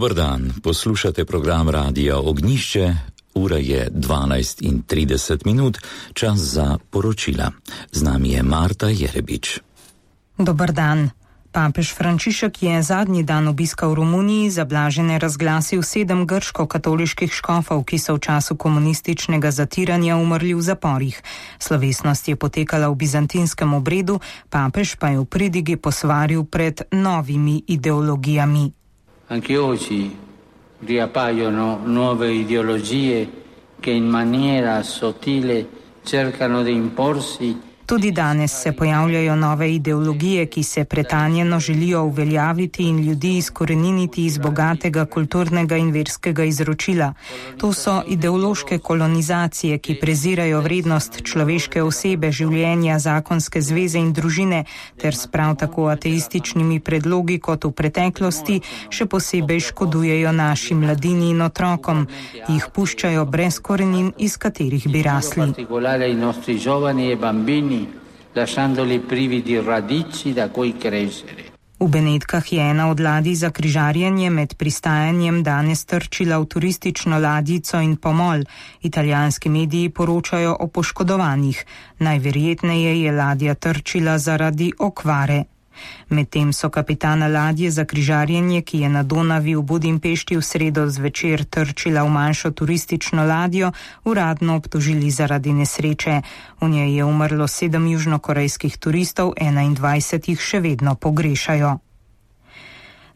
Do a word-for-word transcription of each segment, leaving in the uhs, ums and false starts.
Dober dan, poslušate program Radia Ognjišče, ura je dvanajst in trideset minut, čas za poročila. Z nami je Marta Jerebič. Dober dan. Papež Frančišek je zadnji dan obiska v Romuniji za blažene razglasil sedem grško-katoliških škofov, ki so v času komunističnega zatiranja umrli v zaporih. Slovesnost je potekala v bizantinskem obredu, papež pa je v pridigi posvaril pred novimi ideologijami. Anche oggi riappaiono nuove ideologie che in maniera sottile cercano di imporsi. Tudi danes se pojavljajo nove ideologije, ki se pretanjeno želijo uveljaviti in ljudi izkoreniniti iz bogatega kulturnega in verskega izročila. To so ideološke kolonizacije, ki prezirajo vrednost človeške osebe, življenja, zakonske zveze in družine, ter s prav tako ateističnimi predlogi kot v preteklosti še posebej škodujejo naši mladini in otrokom, jih puščajo brez korenin, iz katerih bi rasli. Lasciandoli privi di radici da cui crescere. V Benetkah je ena od ladij za križarjenje med pristajanjem danes trčila v turistično ladjico in pomol. Italijanski mediji poročajo o poškodovanih. Najverjetneje je ladja trčila zaradi okvare. Medtem so kapitana ladje za križarjenje, ki je na Donavi v Budimpešti v sredo zvečer trčila v manjšo turistično ladjo, uradno obtožili zaradi nesreče. V njej je umrlo sedem južnokorejskih turistov, enaindvajset jih še vedno pogrešajo.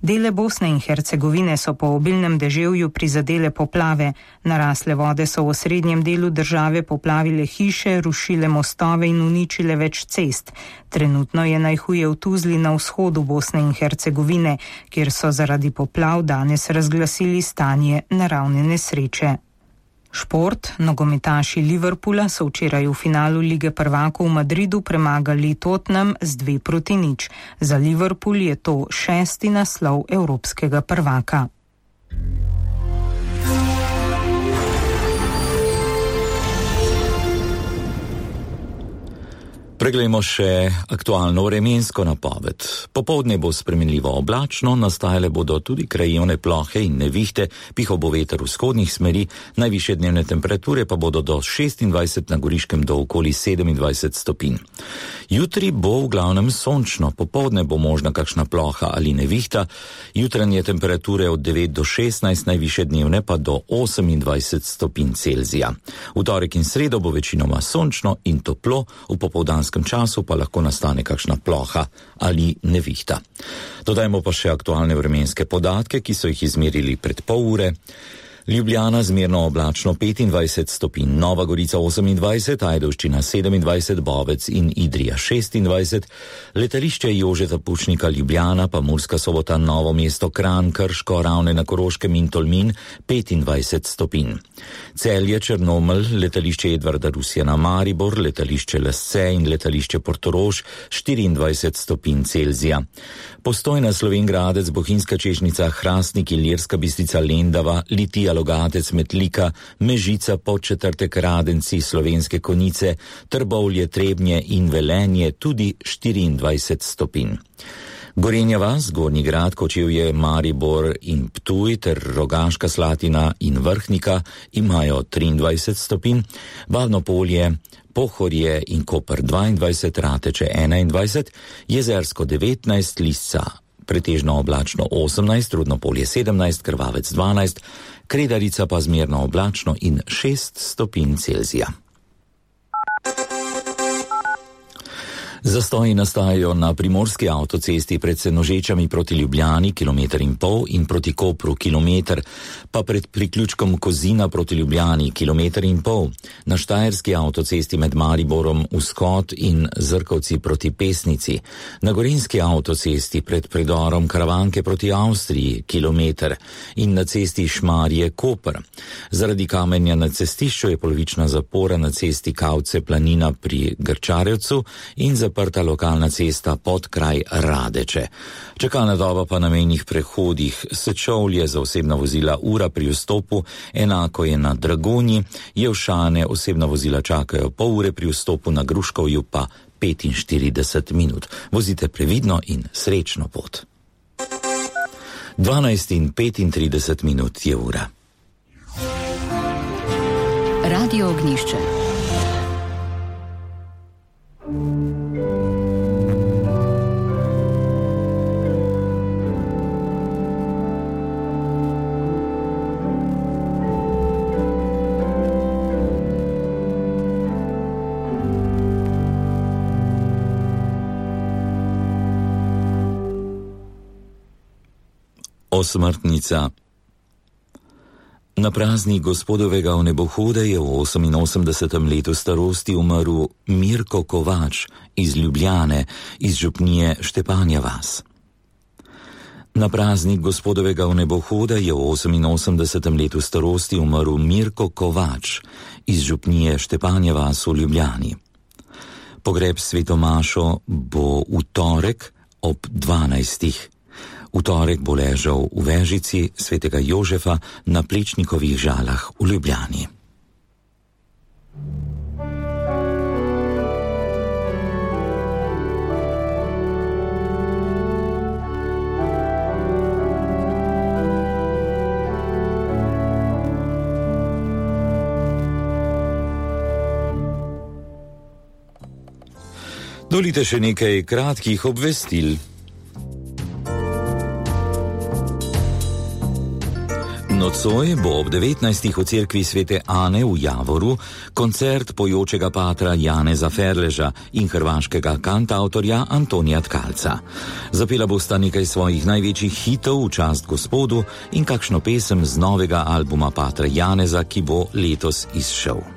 Dele Bosne in Hercegovine so po obilnem deževju prizadele poplave. Narasle vode so v osrednjem delu države poplavile hiše, rušile mostove in uničile več cest. Trenutno je najhuje v Tuzli na vzhodu Bosne in Hercegovine, kjer so zaradi poplav danes razglasili stanje naravne nesreče. Šport, nogometaši Liverpoola so včeraj v finalu Lige prvakov v Madridu premagali Tottenham z dve proti nič. Za Liverpool je to šesti naslov evropskega prvaka. Preglejmo še aktualno vremensko napoved. Popoldne bo spremenljivo oblačno, nastajale bodo tudi krajevne plohe in nevihte, pihal bo veter vzhodnih smeri, najvišje dnevne temperature pa bodo do šestindvajset, na Goriškem do okoli sedemindvajset stopinj. Jutri bo v glavnem sončno, popoldne bo možna kakšna ploha ali nevihta, jutranje temperature od devet do šestnajst, najvišje dnevne pa do osemindvajset stopinj Celzija. V torek in sredo bo večinoma sončno in toplo, v popoldanskem času pa lahko nastane kakšna ploha ali nevihta. Dodajmo pa še aktualne vremenske podatke, ki so jih izmerili pred pol ure. Ljubljana zmerno oblačno petindvajset stopinj, Nova Gorica osemindvajset, Ajdovščina sedemindvajset, Bovec in Idrija šestindvajset, letališče Jožeta Pučnika Ljubljana, pa Murska Sobota, Novo mesto, Kranj, Krško, Ravne na Koroškem in Tolmin petindvajset stopinj. Celje, Črnomelj, letališče Edvarda Rusjana, Maribor, letališče Lesce in letališče Portorož štiriindvajset stopinj Celzija. Postojna, Slovenj Gradec, Bohinjska Češnica, Hrastnik, Ilirska Bistrica, Lendava, Litija, Logatec, Metlika, Mežica, Podčetrtek, Radenci, Slovenske Konjice, Trbovlje, Trebnje in Velenje tudi štiriindvajset stopinj. Gorenja vas, Gornji Grad, Kočevje, Maribor in Ptuj ter Rogaška Slatina in Vrhnika imajo triindvajset stopinj, Bavno Polje, Pohorje in Koper dvaindvajset, Rateče enaindvajset, Jezersko devetnajst, Lisca pretežno oblačno osemnajst, Rudno Polje sedemnajst, Krvavec dvanajst, Kredarica pa zmerno oblačno in šest stopinj Celzija. Zastoji nastajajo na primorski avtocesti pred Senožečami proti Ljubljani, kilometer in pol, in proti Kopru, kilometer, pa pred priključkom Kozina proti Ljubljani, kilometer in pol. Na štajerski avtocesti med Mariborom, Vzhod in Zrkovci proti Pesnici. Na gorenjski avtocesti pred predorom Karavanke proti Avstriji, kilometer. In na cesti Šmarje-Koper. Zaradi kamenja na cestišču je polovična zapora na cesti Kavce-Planina pri Grčarevcu in za zaprta lokalna cesta pod kraj Radeče. Čakalna doba pa na mejnih prehodih Sečovlje za osebna vozila ura pri vstopu, enako je na Dragonji, Jevšane osebna vozila čakajo pol ure pri vstopu, na Gruškovju pa petinštirideset minut. Vozite previdno in srečno pot. dvanajst in petintrideset minut je ura. Radio Ognjišče. Osmrtnica. Na praznik gospodovega vnebohoda je v oseminosemdesetem letu starosti umrl Mirko Kovač iz Ljubljane, iz župnije Štepanja vas. Na praznik gospodovega vnebohoda je v oseminosemdesetem letu starosti umrl Mirko Kovač iz župnije Štepanja vas v Ljubljani. Pogreb svetomašo bo v torek ob dvanajstih. V torek bo ležal v vežici svetega Jožefa na Plečnikovih žalah v Ljubljani. Dolite še nekaj kratkih obvestil. Nocoj bo ob devetnajstih v cerkvi svete Ane v Javoru koncert pojočega patra Janeza Ferleža in hrvaškega kantautorja Antonija Tkalca. Zapela bosta nekaj svojih največjih hitov v čast Gospodu in kakšno pesem z novega albuma patra Janeza, ki bo letos izšel.